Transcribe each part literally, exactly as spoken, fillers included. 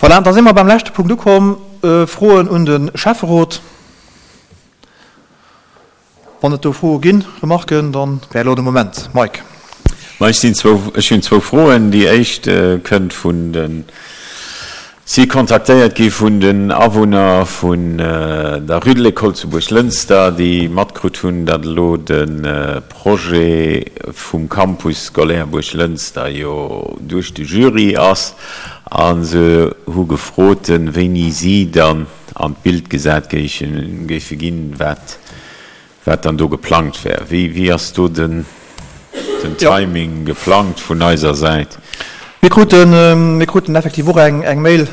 Voilà, da si mer beim leschte Punkt ukomm, Froen un de Schäfferot. Wann et do Froe ginn, Remarken, da wär elo de Moment. Mike. Ma ech sinn zwou, ech hunn zwou Froen. Déi éischt kënnt vun de, si kontaktéiert gi vun den Awunner vun der Rue de l'École zu Buerglënster, déi matkrut hunn, datt elo de Projet vum Campus scolaire Buerglënster jo duerch de Jury ass. A se hu gefrot, wéini si dann an d'Bild gesat géife ginn, wat wat dann do geplangt wär. Wéi wéi ass do den den Timing geplangt vun eiser Säit? Mir kruten mir kruten effektiv och eng eng Mail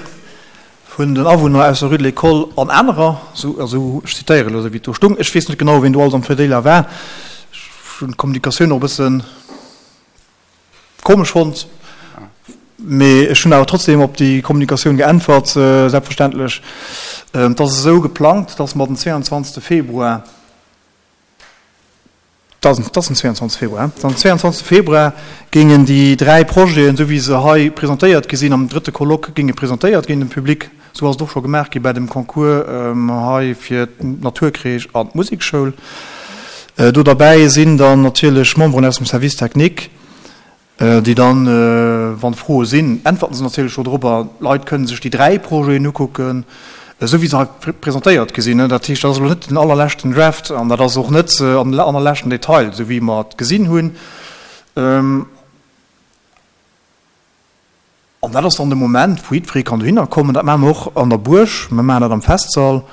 vun den Awunner aus der Rue de l'École an anerer, esou also ech zitéieren elo esou wéi et do stung, ech weess net genau wien do alles am Verdeeler war, ech hunn d'Kommunikatioun och e bëssen komesch fonnt, mee ech hunn awer trotzdem op déi Kommunikatioun geäntwert, selbstverständlech. Et ass esou geplangt, dass mer den zweiundzwanzegste Februar, dat ass den zweiundzwanzegste Februar, den zweiundzwanzegste Februar géingen déi dräi Projeten, esou wéi se hei presentéiert gi sinn, am drëtte Colloque géinge presentéiert ginn dem Public. Esou ass et och scho gemaach gi bei dem Concours hei fir d'Naturcrèche an d'Musekschoul. Do derbäi sinn dann natierlech Memberen aus dem Service technique, déi dann, wann Froe sinn, äntwerten se natierlech do drobber. D'Leit kënnen sech déi dräi Projeten ukucken, esou wéi se hei presentéiert gi sinn. Dat heescht, dat ass elo net den allerleschten Draft an dat ass och net an allerleschten Detail, esou wéi mer et gesinn hunn. An dat ass dann de Moment, wou jiddweree kann dohinner kommen. Dat maache mer och an der Buerg, mer maachen dat am Festsall.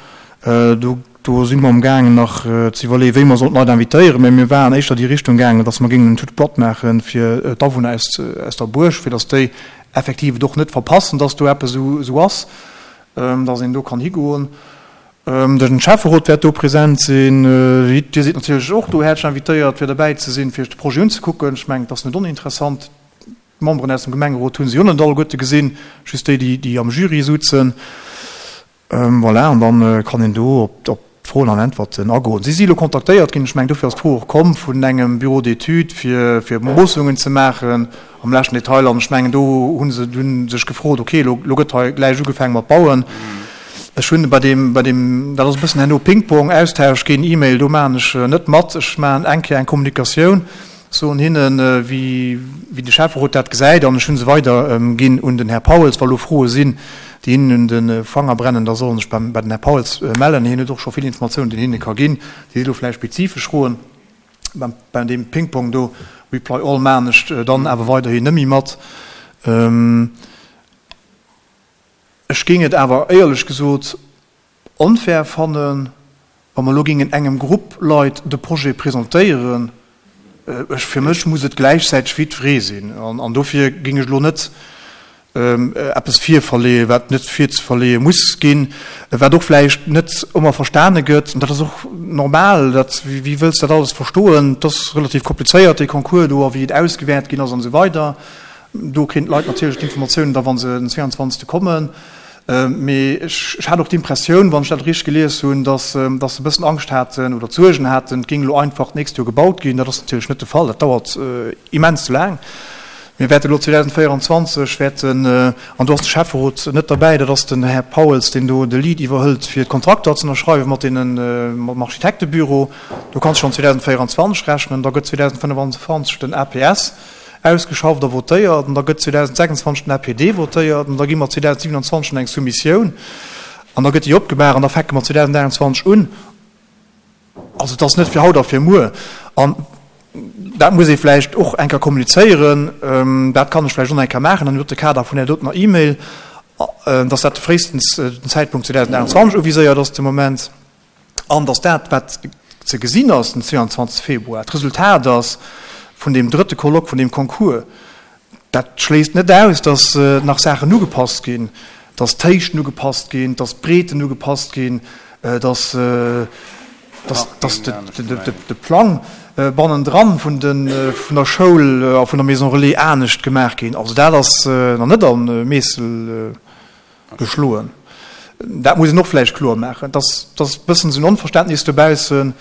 Do, do si mer amgaangen nach ze iwwerleeën, wéi mer sollen d'Leit invitéieren. Mä mir waren éischter déi Richtung gaangen, datt mer géingen en toute boîte maache fir d'Awunner aus, aus der Buerg, fir datt déi effektiv et och net verpassen, datt do eppes esou, esou ass, datt een do kann higoen. Den Schäfferot wäert do present sinn. Dir sidd natierlech och do häerzlech invitéiert, fir derbäi ze sinn, fir iech de Projet unzekucken. Ech mengen, et ass net oninteressant. D'Memberen aus dem Gemengerot hu se jo net alleguerte gesinn, just déi, déi am Jury sutzen. Voilà, an da kann een do op d'Froen an Äntwerten agoen. Si si elo kontaktéiert ginn, ech mengen, dofir ass d'Fro och komm, vun engem Bureau d'études, fir fir Moossungen ze maachen am leschten Detail. An ech mengen, do hu se dunn sech gefrot, okay, elo gëtt hei gläich ugefaange mat bauen. Ech hunn bei deem, bei deem, dat ass e bëssen herno Ping-Pong, Austausch ginn, E-Mail, do maachen ech net mat. Ech maachen eng Kéier eng Kommunikatioun. Soen hinnen, wéi de Schäfferot dat gesäit, an ech hu se weider ginn un den Här Pauels. Wa lo Froe sinn, déi hinnen un de Fanger brennen, da solle sech bei den Här Pauels mellen. Hien huet och scho vill Informatiounen, déi en hinne ka ginn. Déi si lo vläicht spezifesch Froen. Bei deem Ping-Pong do, Reply all, maachen ech dann awer weiderhin net méi mat. Ech géing et awer éierlech gesot onfair fannen, wa mer elo géingen engem Grupp Leit de Projet presentéieren. Ech, fir mech muss et gläichzäiteg fir jiddweree sinn. An dofir géing ech elo net eppes virverleeën, wat net virzeverleeë muss ginn, wat och vläicht net ëmmer verstane gëtt. An dat ass och normal. Dat, wéi wëlls dat alles verstoen? Et ass relativ komplizéiert, dee Concours do, a wéi et ausgewäert ginn ass an esou weider. Do kréien d'Leit natierlech d'Informatiounen da wa se den zweiundzwanzegste kommen. Mee ech hat och d'Impressioun, wann ech dat richteg gelies hunn, datt se e bëssen Angscht haten oder Suergen haten, et géing elo einfach d'nächst Joer gebaut ginn. Dat ass natierlech net de Fall. Dat dauert immens laang. Mir wäerte elo zweedausendvéieranzwanzeg wäerten, an do ass de Schäfferot net derbäi, dat ass den Här Pauels, deen do de Lead iwwerhëlt, fir d'Kontrakter ze ënnerschreiwen mat deenen, mam Architektebüro. Do kanns de schonn zweedausendvéieranzwanzeg rechnen. Da gëtt zweedausendfënnefanzwanzeg den A P S ausgeschafft a votéiert, an da gëtt zweedausendsechsundzwanzeg den A P D votéiert, an da gi mer zweedausendsiewenundzwanzeg an eng Soumissioun, an da gëtt déi opgemaach, an da fänke mer zweedausendaachtundzwanzeg un. Also et ass net fir haut a fir muer. An dat muss ee vläicht och eng Kéier kommunizéieren, dat kann ech vläicht och nach eng Kéier maachen an dem Kader vun där dotener E-Mail, dass dat fréistens den Zäitpunkt zweedausendaachtundzwanzeg uviséiert ass de Moment. An dass dat, wat ze gesinn ass den zweiundzwanzegste Februar, d'Resultat ass vun deem drëtte Colloque, vun deem Concours, dat schléisst net aus, dass nach Saachen ugepasst ginn, dass d'Héichten ugepasst ginn, dass d'Breeten ugepasst ginn, dass de Plang bannendran vun der Schoul a vun der Maison Relais anescht gemaach ginn. Also dat ass nach net a Meessel geschloen. Dat muss een och vläicht kloer maachen. Et ass e bëssen esou en Onverständnis dobaussen,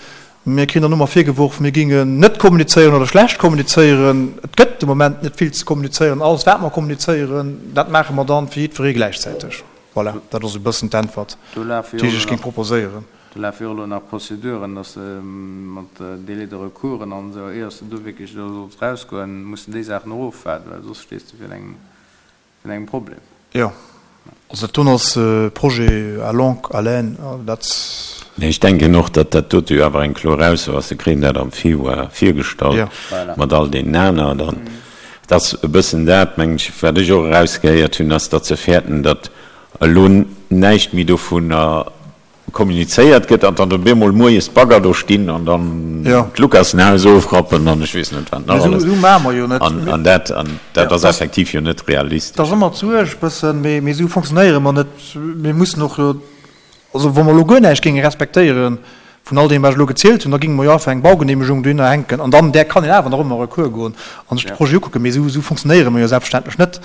Mir kréien dann ëmmer virgeworf, mir gingen net kommunizéieren oder schlecht kommunizéieren. Et gëtt de Moment net vill ze kommunizéieren. Alles, wat mer kommunizéieren, dat maache mer dann fir jiddweree gläichzäiteg. Voilà, dat ass e bëssen d'Äntwert, déi ech géing proposéieren. Do lafe jo elo nach Prozeduren, dass de mat Délai de recoursen an esou, éier s de do wierklech elo solls erausgoen, muss de déi Saachen och ofwaarden, well soss stees de virun engem, virun engem Problem. Jo, also dat doen ass e Projet à longue haleine, dat. Mee ech denken och, datt dat dote jo awer eng kloer Ausso ass. Se kréien dat am Februar virgestallt mat all deenen aner. Dann, et ass e bëssen dat, mengen ech, wat ech och erausgehéiert hunn, ass, datt se fäerten, datt elo näischt méi dovunner kommunizéiert gëtt an dann op eemol moies d'Bagger do stinn an dann d'Lukassenhaus ofrappen an ech weess net wat nach alles. An dat, an dat ass effektiv jo net realistesch. Dat ass ëmmer d'Suerg e bëssen, mee esou fonctionnéiere mer net. Mir mussen och jo, also wa mer elo guer näischt géinge respektéiere vun all deem wat ech elo gezielt hunn, da géinge mer jo einfach eng Baugeneemegung dohinner hänken an dann där kann een awer nach ëmmer a Recours goen a sech de Projet ukucken. Mee esou fonctionnéiere mer jo selbstverständlech net.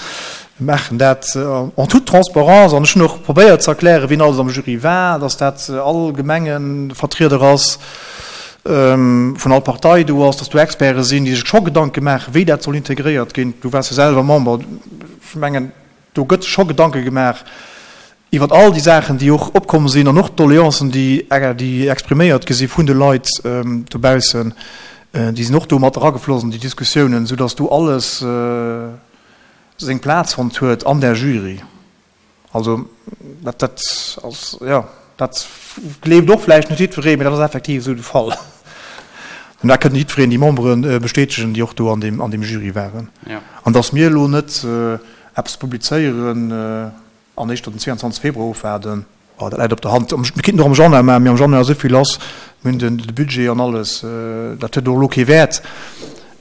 Mir maachen dat en toute transparence an ech hunn och probéiert ze erklären, wien alles am Jury war, dass dat all Gemengevertrieder ass, vun all Partei do ass, dass do Experte sinn, déi sech scho Gedanke maachen, wéi dat soll integréiert ginn. Du waars jo selwer Member. Ech mengen, do gëtt sech scho Gedanke gemaach iwwer all déi Saachen, déi och opkomm sinn an och d'Doleancen, déi, déi expriméiert gi si vun de Leit dobaussen, déi sinn och do mat eragefloss an déi Diskussiounen, soudass do alles seng Plaz fonnt huet an där Jury. Also dat, dat ass, jo, dat gleeft och vläicht net jiddweree, mee dat ass effektiv esou de Fall. An dat kënnt jiddwereen, déi Membere bestätegen, déi och do an deem, an deem Jury waren. An dass mir elo net eppes publizéieren an éischter den zweeanzwanzeg Februar ofwaarden, Oh, dat läit op der Hand. Mir kéinten och am Januar maachen, mee am Januar ass esou vill lass, mir hunn de Budget an alles, dat huet och elo kee Wäert,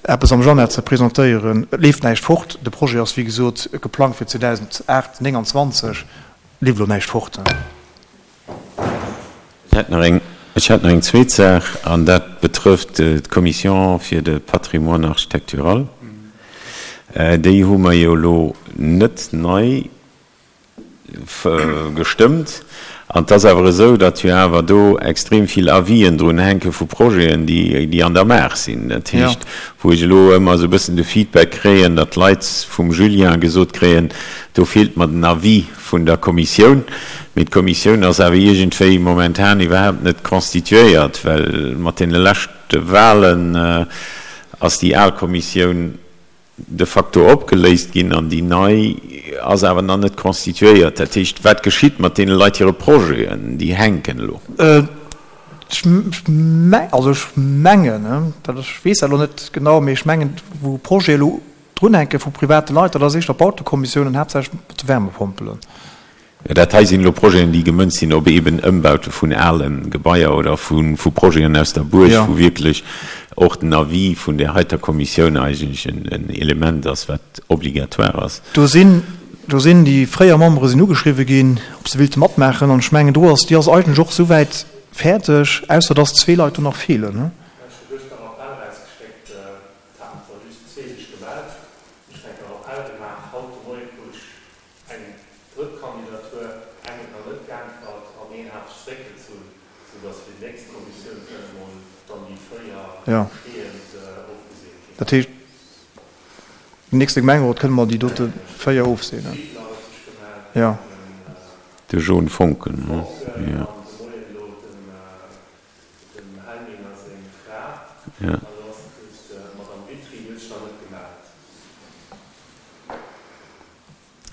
eppes am Januar ze presentéieren. Et leeft näischt fort. De Projet ass, wéi gesot, geplangt fir zweedausendacht nénganzwanzeg. Et leeft elo näischt fort. Ech hätt nach eng, ech hätt nach eng zweet Saach, an dat betrëfft d'Commission fir de Patrimoine architectural. Déi hu mer jo elo net nei gestëmmt. An et ass awer esou, datt jo awer do extrem vill Avisen drun hänke vu Projeten, déi an der Maach sinn. Dat heescht, wou ech elo ëmmer esou e bëssen de Feedback kréien, datt d'Leit vum Julien gesot kréien, do feelt mer den Avis vun der Kommissioun. Mee d'Kommissioun ass awer iergendwéi momentan iwwerhaapt net constituéiert, well mat deene leschte Wahlen ass déi al Kommissioun de facto opgeléist ginn an déi nei ass awer nach net constituéiert. Dat heescht, wat geschitt mat deene Leit hire Projeten, déi hänken elo? Ech also ech mengen, dat ech weess dat elo net genau, mee ech mengen, wou Projete elo drunhänke vu private Leit, dat ass éischter d'Bautekommissioun an haaptsächlech mat de Wärmepompelen. Jo, dat hei sinn elo Projeten, déi gemënzt sinn op eeben Ëmbaute vun ale Gebaier oder vu Projeten aus der Buerg, wou wierklech och den Avis vun där heiter Kommissioun eigentlech en Element ass, wat obligatoire ass. Do sinn, do sinn déi fréier Membere sinn ugeschriwwe ginn, ob se wéilte matmaachen. An ech mengen, do ass, déi ass eigentlech och souwäit fäerdeg, ausser dass zwee Leit do nach feelen. Ech hu gëschter Appell erausgeschéckt, et haten zwar just zwee sech gemellt, ech hunn eng Appell gemaach, haut de Moie krut ech Eng drëtt Kandidatur, eng huet nach net geäntwert an een hat sech zeréckgezunn, sou datt fir déi nächst Kommissioun kënne mol dann déi véier besteeënd ofgeseent ginn. Dat heescht, am nächste Gemengerot kënne mer déi dote véier ofseenen? Fiedler huet sech gemellt, den De Jon Foncken, jo. Foncken an de Moien elo dem Helminger seng Fra. An elo ass et just d'Madame Witry, déi huet sech nach net gemellt.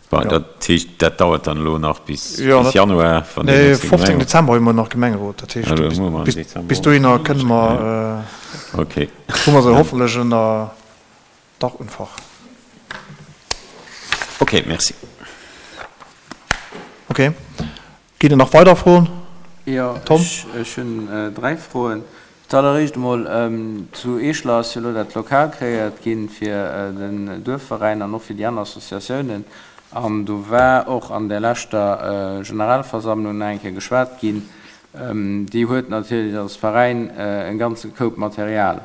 Bon, dat heescht, dat dauert dann elo nach bis Januar, wann deen nächste Gemengerot. Nee, Dezember hu mer nach Gemengerot. Dat heescht, bis dohinner kënne mer, hu mer se hoffentlech ënner Dach und Fach. Okay, merci. Okay. Ginn et nach weider Froen? Jo, ech hunn dräi Froen. Zalleréischt emol, zu Eeschler ass jo elo dat Lokal kreéiert gi fir den Duerfveräin an och fir déi aner Associatiounen. An do war och an där leschter Generalversammlung nach eng Kéier geschwat ginn. Déi huet natierlech als Veräin e ganze Koup Material.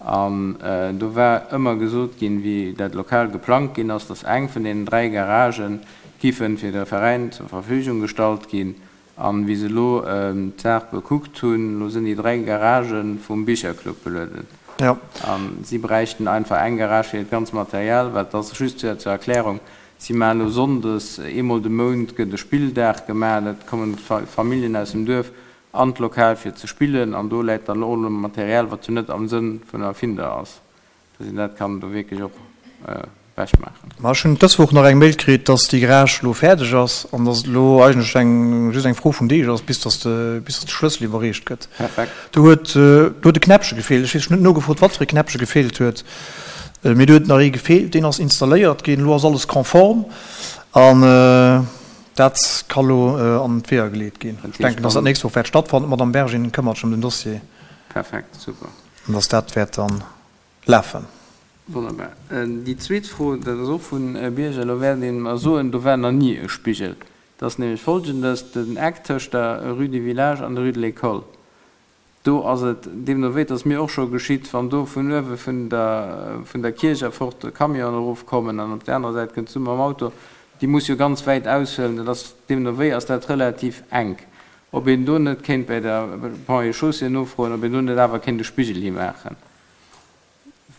An do war ëmmer gesot ginn, wéi dat Lokal geplangt ginn ass, dass eng vun deenen dräi Garagë giffe fir de Veräin zur Verfügung gestallt ginn. An wéi se elo d'Saach bekuckt hunn, elo sinn déi dräi Garagë vum Bicherclub belueden. Jo. A si bräichten einfach eng Garage fir hiert ganz Material, well et ass just zur Erklärung, si maachen elo sonndes, eemol de Mount gëtt e Spilldag gemaach, dat kommen d'Familljen aus dem Duerf an d'Lokal fir ze spillen an do läit dann och elo Material, wat jo net am Sënn vun der Erfinder ass, dass een dat kann do wierklech och ewech maachen. Ma ech hunn dës Woch nach eng Mail kritt, dass déi Garage elo fäerdeg ass an dass et elo eigentlech eng just eng Fro vun Deeg ass, bis dass de bis dass de Schlëssel iwwerreecht gëtt. Perfekt. Do huet do huet e Knäppche gefeelt. Ech weess, ech hunn net nogefrot, wat fir e Knäppche gefeelt huet, mee do huet nach ee gefeelt. Deen ass installéiert ginn. Elo ass alles konform an dat ka lo an d'Weeër geleet ginn. Dat Ech denken, heescht dass dat dann. nächst Woch wäert stattfannen. D'Madame Bergin këmmert sech ëm den Dossier. Perfekt, super. An dass dat wäert dann lafen. Wonnerbar. Déi zweet Fro, dat ass och vun Bierger. Elo wäert een mer soen, do war nach ni e Spigel. Et ass nämlech Folgendes, Den Eck tëscht der Rue du Village an der Rue de l'École, do ass et deemno wéi, et ass mir och scho geschitt, wann do vun uewe vun der vun der Kierch erfort Camionen erofkommen an op där anerer Säit kënns du mam Auto, déi muss jo ganz wäit aushuelen, dat ass deemno wéi ass dat relativ enk. Ob een do net kéint bei der Ponts et Chaussées nofroen, ob een do net awer kéint e Spigel himaachen.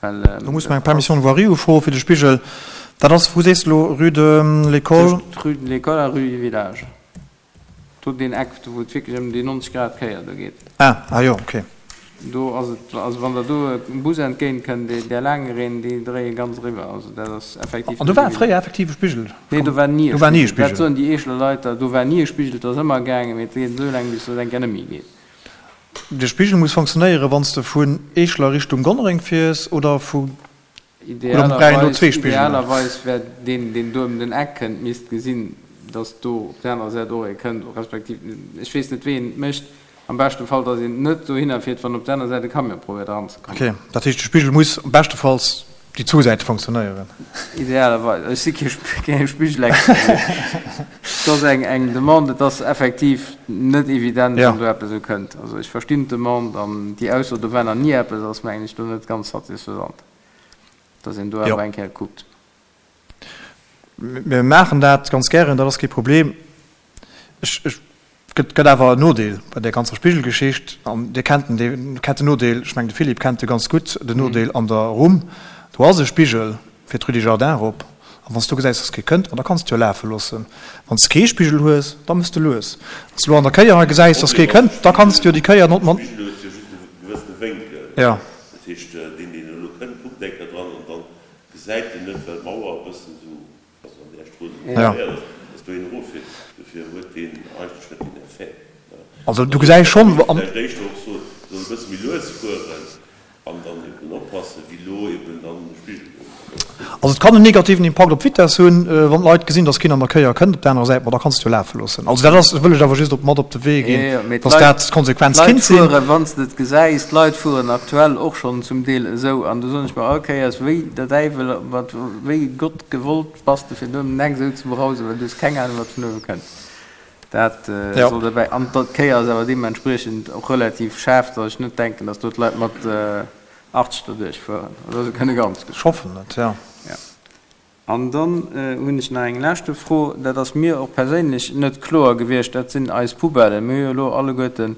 Well Do muss mer dat eng Permission ass. de voirie ufroe fir de Spigel. Dat ass, wou sees de elo, Rue de l'École? Tëscht Rue de l'École a Rue du Village. Do deen Eck, do wou et wierklech ëm déi nonzeg Grad Kéier do geet. Ah, ah jo, okay. Do ass et, also wann der do e Bus entgéint kënnt, dee där laange Reen, déi dréie ganz eriwwer. Also dat ass effektiv An do net war evident. fréier effektiv e Spigel? Nee, do war ni e Do war ni e Spigel. Dat Spigel. soen déi Eescheler Leit da, do war ni e Spigel, et ass ëmmer gaangen, mee et geet esou laang, bis et eng Kéier net méi geet. De Spigel muss fonctionnéieren, wann s de vun Eeschler Richtung Gonnereng fiers oder vu, oder brauch een do Idealerweis, zwee Spigelen? idealerweis wär deen, deen do ëm den Eck kënnt, misst gesinn, datt do op där anerer Säit och ee kënnt, respektiv, ech weess net, wéi een et mécht, am beschte Fall, datt een net dohinner fiert, wann op där anerer Säit e Camion probéiert eranzekommen. Ok, dat heescht, de Spigel muss beschtefalls déi zwou Säite fonctionnéieren? Idealerweis. Ech si kee Spigelexpert, mee et ass eng, eng Demande. Et ass effektiv net evident, Ja. wann do eppes esou kënnt. Also ech verstinn d'Demande an déi Ausso, do war nach ni eppes, ass mengen ech do net ganz satisfaisant, dass een do Jo. awer eng Kéier kuckt. Mir maachen dat ganz gären, dat ass kee Problem. Ech, ech, gëtt, gëtt awer en Nodeel bei där ganzer Spigelgeschicht, an Dir kennt den, Dir kennt den Nodeel, ech mengen de Philippe kennt e ganz gutt, den Nodeel an der Rumm, do ass e Spigel fir d'Rue des Jardins erop, a wann s du gesäis, dass kee kënnt, ma da kanns de jo lafe loossen. Wann s de kee Spigel hues, da mëss de lues. Wann s de elo an der Kéier hei gesäis, dass kee De Problem kënnt, ass, da de kanns de jo déi Kéier not Spigel mat. hues jo just e gewëssene Wénkel. Jo. Dat heescht, deen, deen elo kënnt, kuckt eng Kéier dran an dann gesäit en net, well d'Mauer e bëssen esou also an där Strooss esou Ja. preparéiert ass, dass do een eroffiert. Dofir huet deen eigentlech net deen Effet. Also du Also gesäis da schonn, géif ech an. vläicht éischter och soen, soll e bësse méi lues fueren an dann eben oppassen, wéi elo eben dann de Spigel do ass. Also et kann en negativen Impakt op d'Vitess hunn, wann d'Leit gesinn, dass keen an der Kéier kënnt op der anerer Säit, ma da kanns de jo lafe loossen. Also dat ass, wëll ech awer just op mat op de Wee Jo, ginn, jo, mee dass d'Leit, dat d'Konsequenz d'Leit kinnt sinn. fueren, wann s de et gesäis, d'Leit fueren aktuell och schonn zum Deel esou. An do soen ech mer all Kéiers, wéi der Däiwel, wat, wéi Gott gewollt bass de fir do ëm den Eck esou ze brausen, well du hues keng Ahnung, wat vun uewe kënnt. Dat Jo. soll derbäi. An d'Kéier ass awer deementspriechend och relativ schaarf, datt ech net denken, datt do d'Leit mat achtzeg derduerch fueren. Oder se kënne ganz Ech gutt. hoffen et, jo. Jo. An dann hunn ech nach eng leschte Fro, dat ass mir och perséinlech net kloer gewiescht, dat sinn eis Poubellen. Mir hu jo elo alleguerten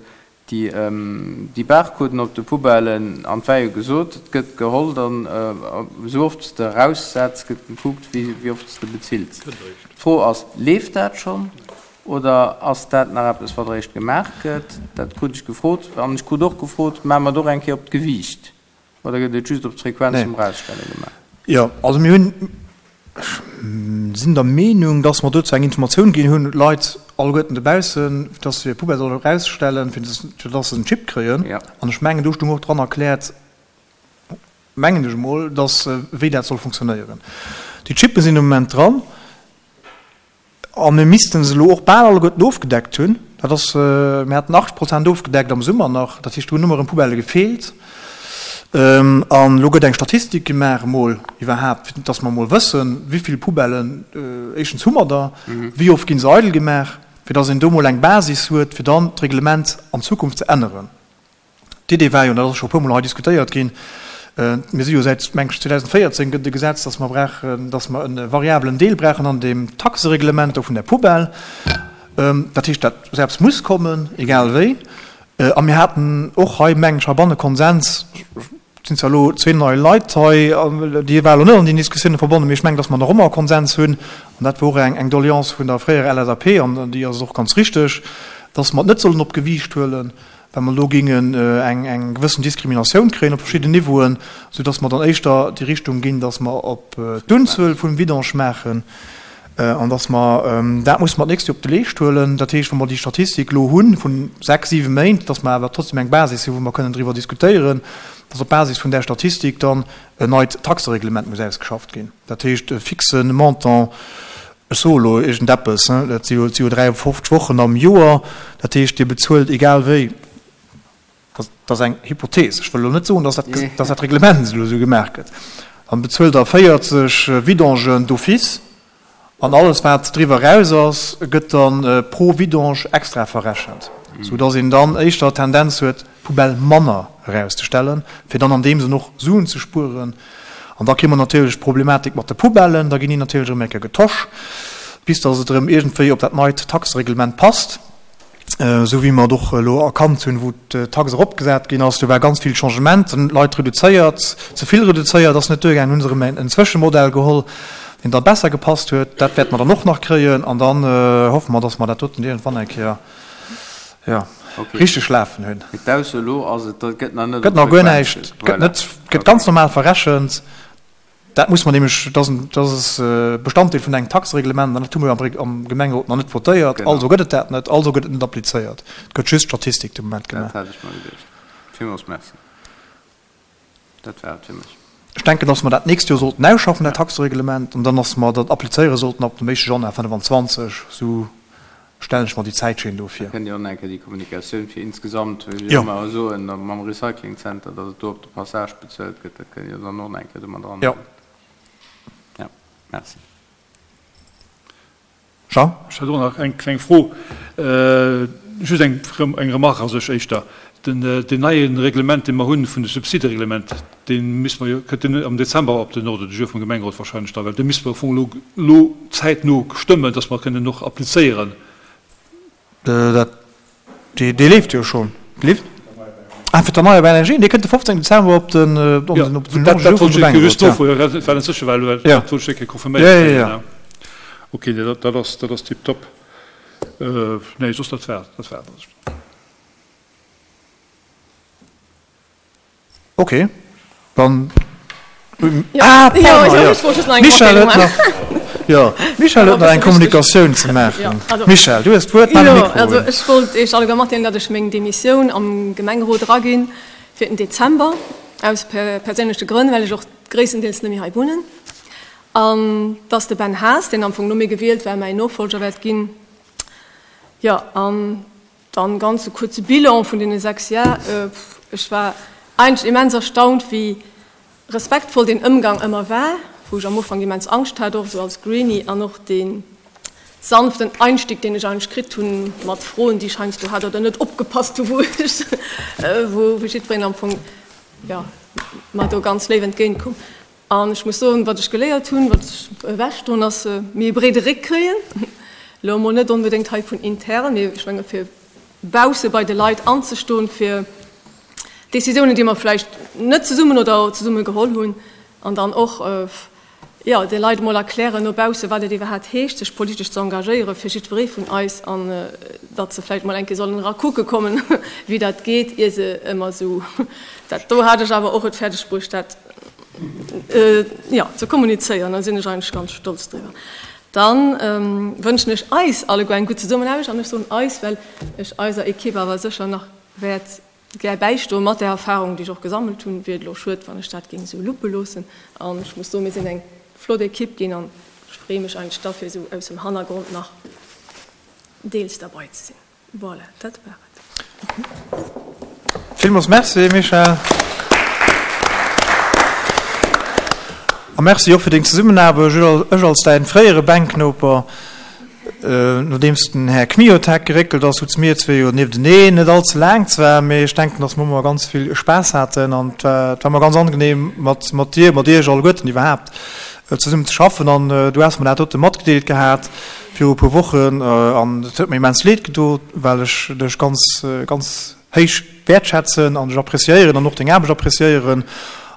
déi, déi Barcoden op de Poubellen an et war jo gesot, et gëtt geholl dann, esou oft s de eraussetz, gëtt gekuckt, wéi, wéi oft s de bezills. D'Fro ass, Leeft dat schonn oder ass dat nach eppes, wat eréischt gemaach gëtt? Dat krut ech gefrot. An ech krut och gefrot, Maache mer et och eng Kéier op d'Gewiicht oder gëtt et just op d'Frequenz Nee. vum Erausstelle gemaach? Jo, also mir hunn, ech sinn der Meenung, dass mer dozou eng Informatioun ginn hunn, d'Leit alleguerten dobaussen, dass se hir Poubelle solle erausstellen, fir dass se en Chip kréien. Jo. An ech mengen, do stoung och dran erkläert, mengen ech emol, dass, wéi dat soll funktionéieren. Déi Chippe sinn de Moment dran. A mir misste se elo och bal alleguerten ofgedeckt hunn. Dat ass, mir haten achtzeg Prozent ofgedeckt am Summer nach. Dat heescht, do hunn ëmmer erëm Poubellë gefeelt. An elo gëtt eng Statistik gemaach emol iwwerhaapt, fir dass mer emol wëssen, wéi vill Poubellen, éischtens hu mer der, wéi oft gi se eidel gemaach, fir dass een do emol eng Basis huet, fir dann d'Reglement an Zukunft ze änneren. D'Idee war jo, an dat ass scho e puermol hei diskutéiert ginn, mir si jo säit, meng ech, zweedausendvéierzéng gëtt e Gesetz, dass mer brauchen, dass mer e variabelen Deel brauchen an deem Taxereglement do vun der Poubelle. Dat heescht, dat selbst muss kommen, egal wéi. A mir haten och hei, mengen ech, heibanne Konsens, et sinn zwar elo zwee nei Leit hei, déi ware elo net an déi Diskussioune verbonnen, mee ech mengen, datt mer nach ëmmer e Konsens hunn, an dat war och eng Doleance vun der fréierer LSAP, an déi ass och ganz richteg, datt mer et net sollen op d'Gewiicht huelen, well mer do géingen eng gewëssen Diskriminatioun kréien op verschidden Niveauen, soudatt mer dann éischter déi Richtung ginn, datt mer op d'Unzuel vum Vidange maachen an datt mer, dat musse mer d'nächst Joer op de Leescht huelen, dat heescht, wa mer déi Statistik elo hu vu sechs, siwe Méint, datt mer awer trotzdem eng Basis hu wou mer kënnen driwwer diskutéieren, datt op Basis vun där Statistik dann en neit Taxereglement muss ausgeschafft ginn, dat heescht e fixe Montant. Ech soe elo iergendeppes, dat si jo, et si jo dräiundfofzeg Wochen am Joer, dat heescht, Dir bezuelt egal wéi, dat ass eng Hypothees, ech wëll elo net soen, dass dat, dass dat Reglement elo esou gemaach gëtt, dann bezuelt Der véierzeg Vidangen d'office an alles, wat driwwer eraus ass, gëtt da pro Vidange extra verrechent, soudass een dann éischter d'Tendenz huet, d'Poubelle manner erauszestellen, fir dann an deem Sënn och Suen ze spueren. An da kritt mer natierlech d'Problematik mat de Poubellen, da ginn déi natierlech erëm eng Kéier getosch, bis datt et erëm iergendwéi op dat neit Taxereglement passt, esou wéi mer et och elo erkannt hunn, wou d'Tax eropgesat ginn ass. Do war ganz vill Changement, hunn d'Leit reduzéiert, ze vill reduzéiert, ass net duergaangen, hu se erëm en Zwëschemodell geholl, deen da besser gepasst huet. Dat wäerte mer dann och nach kréien an dann hoffe mer, datt mer dat doten iergendwann eng Kéier, jo, richteg lafen hunn. Mee d'Ausso elo ass, et gëtt nach net op Gëtt nach guer näischt, gëtt net, gëtt ganz normal verrechent. Dat muss mer nämlech, dat ass e Bestanddeel vun engem Taxereglement an dat hu mer jo am Gemengerot nach net votéiert. Also gëtt et dat net, also gëtt et net applizéiert. Et gëtt just Statistik de Moment gemaach. Dat hat ech mer geduecht. Villmools Merci. Dat war et fir mech. Ech denken, dass mer dat d'nächst Joer sollten ausschaffen, dat Taxereglement, an dann, dass mer dat applizéiere sollten ab dem éischte Januar fënnefenzwanzeg. Esou stellen ech mer déi Zäitschinn do vir. Da kënnt jo och nach eng Kéier déi Kommunikatioun fir insgesamt, wéi ech ëmmer soen, mam Recycling Center, dass et do op de Passage bezuelt gëtt, dat kënnt jo dann och nach eng Kéier do mat eran. Jo. Jo, merci. Jean? Ech hätt och nach eng kleng Fro, just eng Remarque a sech éischter. Den neie Reglement, dee mer hunn vun de Subsidereglement, dee misste mer jo, kënnt deen am Dezember op den Ordre du jour vum Gemengerot wahrscheinlech da, well dee misste mer am Fong elo elo zäitno stëmmen, dass mer kënnen och applizéieren. Dat, dee, dee leeft jo schonn. Leeft? Ah, fir d'erneierbar Energien, dee kënnt de fofzéngten Dezember op den, op den, op den Ordre du jour vum Gemengerot, ja. Dat wollt ech just nofroen, dat war net sécher, well dat wollt ech eng Kéier confirméiert kréien. Ok, nee, dat, dat ass, dat ass tiptop. Nee, soss dat war, dat war et. Ok, dann. Ah, pardon, jo. D'Michèle huet nach, jo, d'Michèle huet nach eng Kommunikatioun ze maachen. Michèle, du hues d'Wuert, maach de Mikro un. Also ech wollt Iech alleguer matdeelen, datt ech meng Demissioun am Gemengerot eraginn fir den Dezember, aus perséinleche Grënn, well ech och gréisstendeels net méi hei wunnen, an datt de Ben Haas, deen am Fong no mir gewielt war, mäin Nofollger wäert ginn. Jo, an Dann ganz e kuerze Bilan vun deene sechs Jar. Ech war eigentlech immens erstaunt, wéi respektvoll deen Ëmgang ëmmer war, wou ech am Ufank immens Angscht hat, och esou als Greenie, an och dee sanften Einstieg, deen ech eigentlech kritt hunn mat Froen, déi ech heiansdo hat oder net opgepasst hu, wou ech, wou jiddwereen am Fong, jo, mer do ganz léif entgéint koum. An ech muss soen, wat ech geléiert hunn, wat ech ewechdoen, ass méi e breede Réck kréien. Elo emol net onbedéngt hei vun intern, mee ech menge fir bausse bei de Leit anzestoen, fir Décisiounen, déi mer vläicht net zesummen oder zesumme geholl hunn, an dann och, jo, de Leit emol erklären no bausse, wat et iwwerhaapt heescht, sech politesch ze engagéieren, fir jiddweree vun eis, an datt se vläicht emol eng Kéier sollen era kucke kommen, wéi dat geet, ier se ëmmer esou dat do hat ech awer och et fäerdeg bruecht, dat jo, ze kommunizéieren. Da sinn ech eigentlech ganz stolz driwwer. Dann wënschen ech eis alleguer eng gutt Zesummenaarbecht, an ech soen eis, well ech eiser Ekipp awer sécher nach wäert gär bäistoen. Mat där Erfahrung, déi ech och gesammelt hunn, wier et elo schued, wann ech dat géing esou luppe loossen. An ech muss soen, mir sinn eng flott Ekipp ginn an ech freeë mech eigentlech da fir esou aus dem Hannergrond nach deels derbei ze sinn. Voilà, dat war et. Villmools Merci, Michèle. A Merci och fir deng Zesummenaarbecht. Ech als däin fréiere Bänknoper, nodeems den Här Kmiotek geréckelt ass, souze mir zwee jo niefteneen, net all ze laang zwar, mee ech denken, dass mer ëmmer ganz vill Spaass haten an et war, et war ëmmer ganz angenehm mat, mat dir, mat iech alleguerten iwwerhaapt zesummen ze schaffen. An du has mer dat dote matgedeelt gehat viru e puer Wochen an et huet mir immens leed gedo, well ech dech ganz, ganz héich wäertschätzen an dech appréciéieren an och deng Aarbecht appréciéieren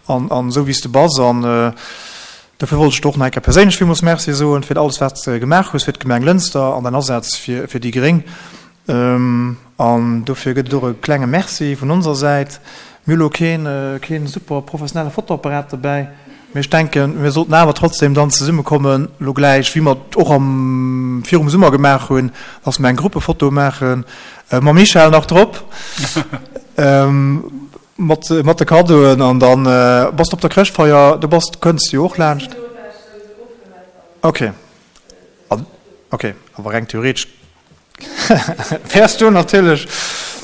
an, an esou wéi s de bass. An dofir wollt ech der och nach eng Kéier perséinlech villmools Merci soen fir alles, wat s de gemaach hues fir d'Gemeng Lënster an däin Asaz fir, fir déi gréng. An dofir gëtt et och e klenge Merci vun onser Säit. Mir hu lo keen, keen super professionelle Fotoapparat dobäi, mee ech denken, mir sollten awer trotzdem dann zesummekommen lo gläich, wéi mer et och am, virum Summer gemaach hunn, dass mer eng Gruppefoto maachen, mam Michèle nach drop, mat, mat de Kaddoen. An dann, bass de op der Chrëschtfeier? Du bass, kënns jo och laanscht. Okay. Okay, awer reng theoretesch wäers du natierlech,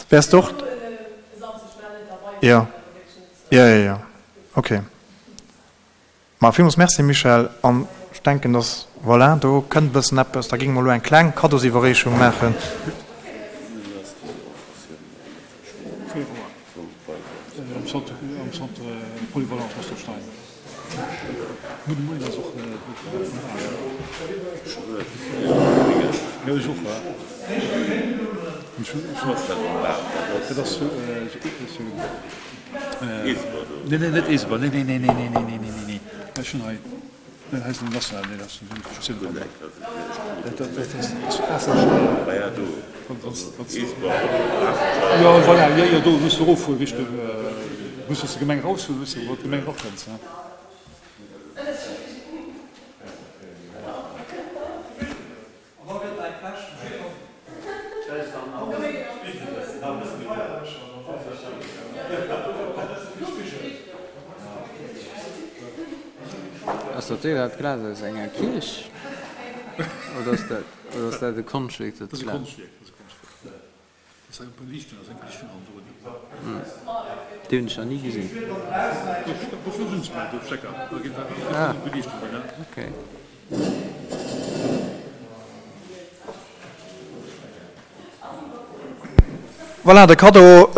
wäers de och. Jo, jo, jo, jo, okay. Ma villmools Merci, Michèle. An ech denken, dass, voilà, do kënnt e bëssen eppes. Da géinge mer elo eng kleng Kaddosiwwerreechung maachen. Ass dat dee dat Glas aus enger Kierch oder ass dat oder ass dat e Konschtwierk dat Glas? Déi hunn ech nach ni gesinn. Ah, okay. Voilà, de Kaddo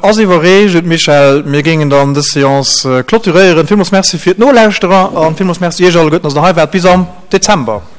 ass iwwerreecht, Michèle. Mir géingen dann dës Seance clôturéieren. Villmools Merci fir d'Nolauschterer a villmools Merci Iech alleguerten, dass Der hei waart. Bis am Dezember.